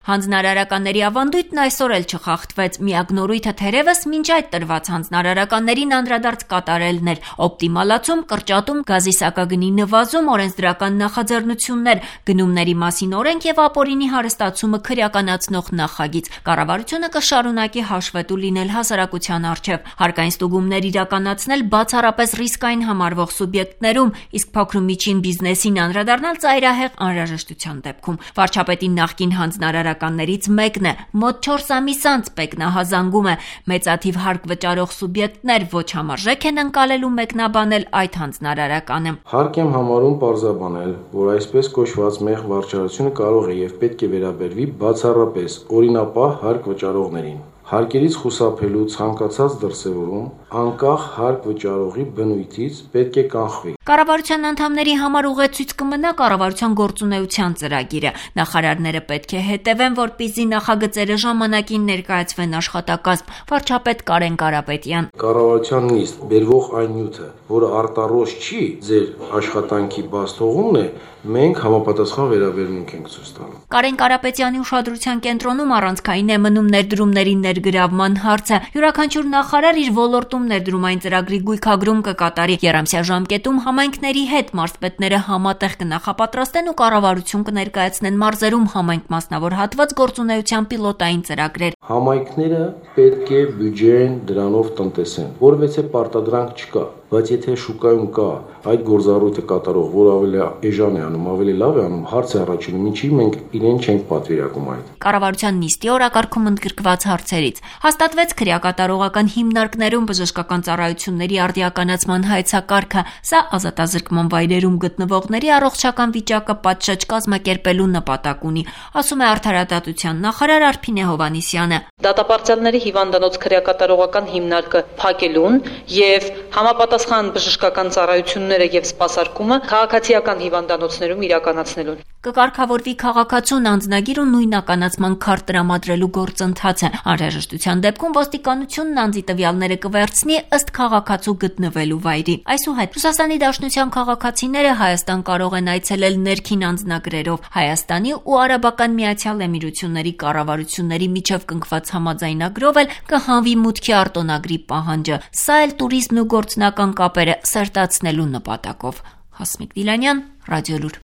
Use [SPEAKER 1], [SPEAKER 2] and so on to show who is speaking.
[SPEAKER 1] Հանձնարարականների ավանդույթն այսօր էլ չխախտվեց, միակ նորույթը թերևս մինչ այդ տրված հանձնարարականներին անդրադարձ կատարելն էր, օպտիմալացում, կրճատում, գազի սակագնի նվազում, օրենսդրական նախաձեռնություններ, գնումների մասին օրենք եւ ապօրինի հարստացումը քրեականացնող նախագիծ։ Կառավարությունը կշարունակի հաշվետու լինել հասարակության առջև, հարկային ստուգումներ իրականացնել բացառապես ռիսկային համարվող սուբյեկտներում, իսկ փոքր ու միջին բիզնեսին անդրադառնալ ծայրահեղ անհրաժեշտության դեպքում։ Վարչապետի նախկին հանձնարարականներից մեկն է, մոտ 4 ամիս անց մեկնահազանգում է, մեծաթիվ հարկ վճարող սուբյեկտներ ոչ համարժեք են ընկալելու մեկնաբանել այդ հանձնարարականը։
[SPEAKER 2] Հարկ եմ համարում պարզաբանել, որ այսպես կոչված մեղ վարչարությունը կարող է եւ պետք է վերաբերվի բացառապես օրինապահ հարկ վճարողներին։ Հարկերից խուսափելու ցանկացած դրսևորում անկախ հարկ վճարողի բնույթից պետք է կանխվի։
[SPEAKER 1] Կառավարության անդամների համար ուղեցույց կմնա կառավարության գործունեության ծրագիրը։ Նախարարները պետք է հետևեն, որպեսզի նախագծերը ժամանակին ներկայացվեն աշխատակազմ։ Վարչապետ Կարեն Կարապետյան։
[SPEAKER 2] Կառավարության նիստ բերվող այն նյութը, որը արտառոց չի ձեր աշխատանքի բաց թողումն է, մենք համապատասխան վերաբերմունք ենք ցույց տալու։
[SPEAKER 1] Կարեն Կարապետյանի ուշադրության կենտրոնում առանցքային է մնում ներդրումների ներգրավման հարցը։ Յուրաքանչյուր նախարար իր ոլորտում ներդրումային ծրագրի գույքագրում կկատարի։ Եռամսյա ժամկետում համայնքների հետ մարզպետները համատեղ կնախապատրաստեն ու կառավարություն կներկայացնեն մարզերում համայնք մասնավոր հատված գործունեության պիլոտային ծրագրեր։
[SPEAKER 2] Համայնքները պետք է բյուջեն դրանով տնտեսեն, որովհետեւ պարտադրանք չկա, բայց եթե շուկայում կա այդ գործառույթը կատարող, որ ավելի էժան է անում, ավելի լավ է անում, հարց է առաջանում, ինչի մենք իրեն չենք պատվիրակում այդ։
[SPEAKER 1] Կառավարության նիստի օրակարգում ընդգրկված հարցերից հաստատվեց քրեակատարողական հիմնարկներում բժշկական ծառայությունների արդիականացման հայեցակարգը։ Սա ազատազրկման վայրերում գտնվողների առողջական վիճակը պատշաճ կազմակերպելու նպատակ ունի, ասում է արդարադատության նախարար Արփինե Հովհաննիսյանը։
[SPEAKER 3] Դատապարտյալների հիվանդանոց քրեակատարողական հիմնարկը փակելուն եւ համապատասխան բժշկական ծառայությունները եւ սպասարկումը քաղաքացիական հիվանդանոցներում իրականացնելուն։
[SPEAKER 1] Կկարգավորվի քաղաքացուն անձնագիր ու նույնականացման քարտ տրամադրելու գործընթացը։ Անհրաժեշտության դեպքում ոստիկանությունն անձի տվյալները կվերցնի ըստ քաղաքացու գտնվելու վայրի։ Այսուհետ Ռուսաստանի Դաշնության քաղաքացիները Հայաստան կարող են այցելել ներքին անձնագրերով։ Հայաստանի ու Արաբական Միացյալ Էմիրությունների կառավարությունների միջև կնքված համաձայնագրով էլ կհանվի մուտքի արտոնագրի պահանջը։ Սա էլ туриզմն ու գործնական կապերը սերտացնելու նպատակով։ Հասմիկ Դիլանյան, Ռադիոլուր։